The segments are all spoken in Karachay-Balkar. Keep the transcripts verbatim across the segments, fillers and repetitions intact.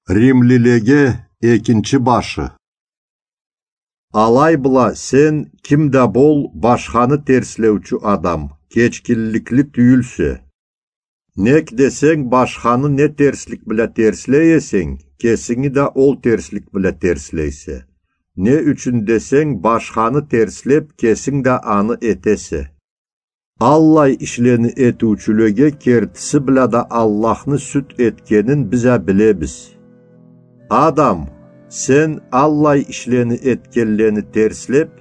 Римлилеге экинчи башы. Алай бла сен, ким да бол, башханы терслеучю адам, кечгинликли тюйюлсе. Нек десенг, башханы не терслик бла терслей эсенг, кесинги да ол терслик бла терслейсе. Не ючюн десенг, башханы терслеп, кесинг да аны этесе. Аллай ишлени этиучюлеге кертиси бла да Аллахны сюд этгенин биз а билебиз. Адам, сен аллай ишлени этгенлени терслеп,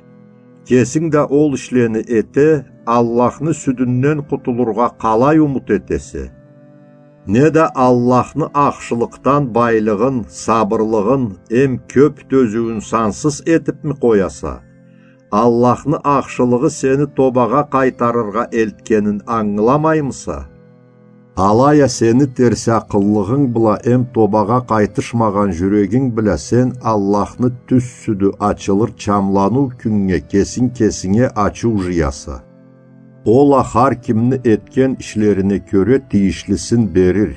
кесинг да ол ишлени эте, Аллахны сюдюнден къутулургъа къалай умут этесе? Неда Аллахны ахшылыкъдан байлыгъын, сабырлыгъын эм кёп тёзюуюн сансыз этипми къояса? Аллахны ахшылыгъы сени тобагъа къайтарыргъа элтгенин ангыламаймыса? Алай а сени терсакъыллыгъынг бла эм тобагъа къайтышмагъан жюрегинг бла сен Аллахны тюз сюдю ачылыр чамланыу кюннге кесинг кесинге ачыу жыяса. Ол а хар кимни этген ишлерине кёре тийишлисин берир.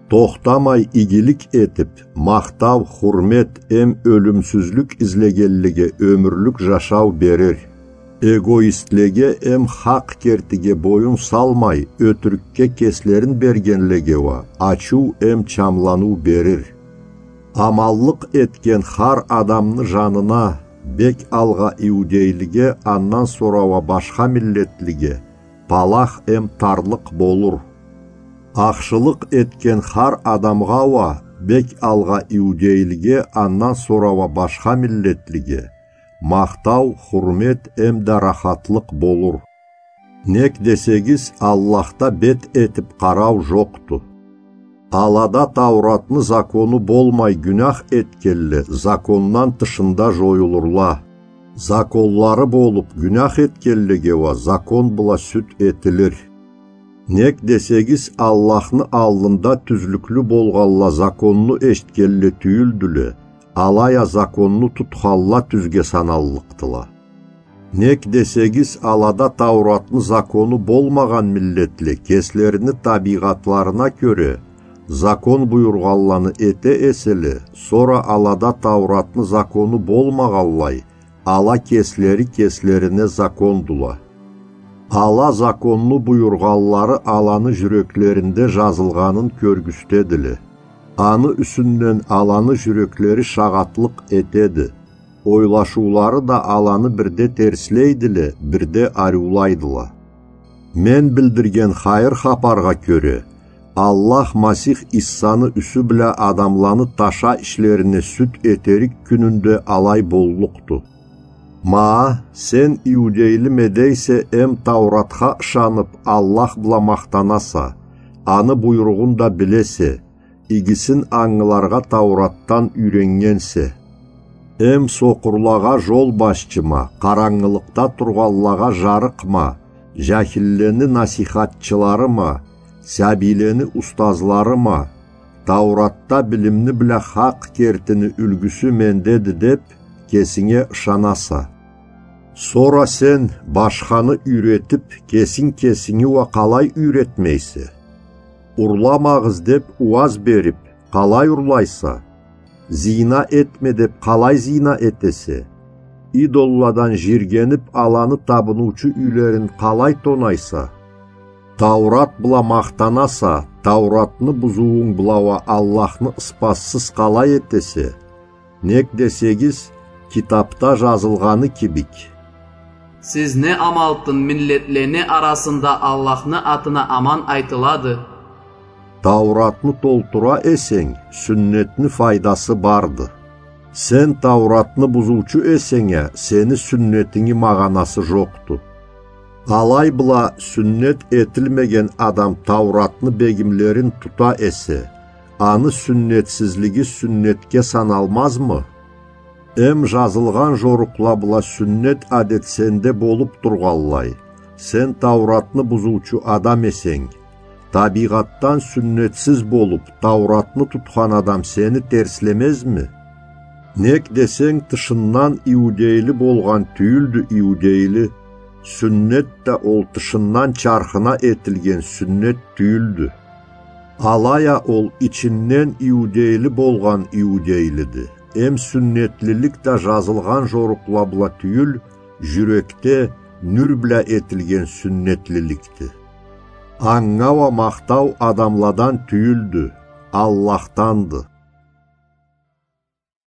Тохтамай игилик этип, махтау, хурмет эм ёлюмсюзлюк излегенлеге ёмюрлюк жашау берир. Эгоистлеге эм хакъ кертиге боюн салмай, ётюрюкге кеслерин бергенлеге уа ачыу эм чамланыу берир. Аманлыкъ этген хар адамны жанына, бек алгъа иудейлиге, андан сора уа башха миллетлиге, палах эм тарлыкъ болур. Ахшылыкъ этген хар адамгъа уа, бек алгъа иудейлиге, андан сора уа башха миллетлиге, махтау, хурмет эм да рахатлыкъ болур. Нек десегиз, Аллахда бет этип къарау жокъду. Алада Тауратны закону болмай гюнях этгенле закондан тышында жоюлурла. Законлары болуп гюнях этгенлеге уа закон бла сюд этилир. Нек десегиз, Аллахны аллында тюзлюклю болгъанла законну эшитгенле тюйюлдюле, алай а законну тутханла тюзге саналлыкъдыла. Нек десегиз, алада Тауратны закону болмагъан миллетле кеслерини табийгъатларына кёре закон буюргъанланы эте эселе, сора алада Тауратны закону болмагъанлай, ала кеслери кеслерине закондула. Ала законну буюргъанлары аланы жюреклеринде жазылгъанын кёргюзтедиле. Аны юсюнден аланы жюреклери шагъатлыкъ этеди. Ойлашыулары да аланы бирде терслейдиле, бирде ариулайдыла. Мен билдирген хайыр хапаргъа кёре, Аллах Масих Иссаны юсю бла адамланы таша ишлерине сюд этерик кюнюнде алай боллукъду. Ма, сен иудейлиме дейсе эм Тауратха ышанып, Аллах бла махтанаса, аны буйругъун да билесе, игисин ангыларгъа Тауратдан юйреннгенсе. Эм сокъурлагъа жол башчыма, къарангылыкъда тургъанлагъа жарыкъма, жахиллени насийхатчыларыма, сабийлени устазларыма, Тауратда билимни бла хакъ кертини юлгюсю мендеди деп, кесинге ышанаса. Сора сен, башханы юйретип, кесинг кесинги уа къалай юйретмейсе? Урламагъыз деп ууаз берип, къалай урлайса? Зина этме деп къалай зина этесе? Идолладан жийиргенип, аланы табыныучу юйлерин къалай тонайса? Таурат бла махтанаса, Тауратны бузуунг бла уа Аллахны ыспазсыз къалай этесе? Нек десегиз, китапда жазылгъаны кибик: «Сиз не амалтын миллетлени арасында Аллахны атына аман айтылады?» Тауратны толтура эсенг, сюннетни файдасы барды. Сен Тауратны бузуучу эсенг а, сени сюннетинги магъанасы жокъду. Алай бла сюннет этилмеген адам Тауратны бегимлерин тута эсе, аны сюннетсизлиги сюннетге саналмазмы? Эм жазылгъан жорукъла бла сюннет адет сенде болуп тургъанлай, сен Тауратны бузуучу адам эсенг, табийгъатдан сюннетсиз болуп, Тауратны тутхан адам сени терслемезми? Нек десенг, тышындан иудейли болгъан тюйюлдю иудейли, сюннет да ол тышындан чархына этилген сюннет тюйюлдю. Алай а ол ичинден иудейли болгъан иудейлиди. Эм сюннетлилик да жазылгъан жорукъла бла тюйюл, жюрекде нюр бла этилген сюннетлиликди. Анга уа махтау адамладан тюйюлдю, Аллахданды.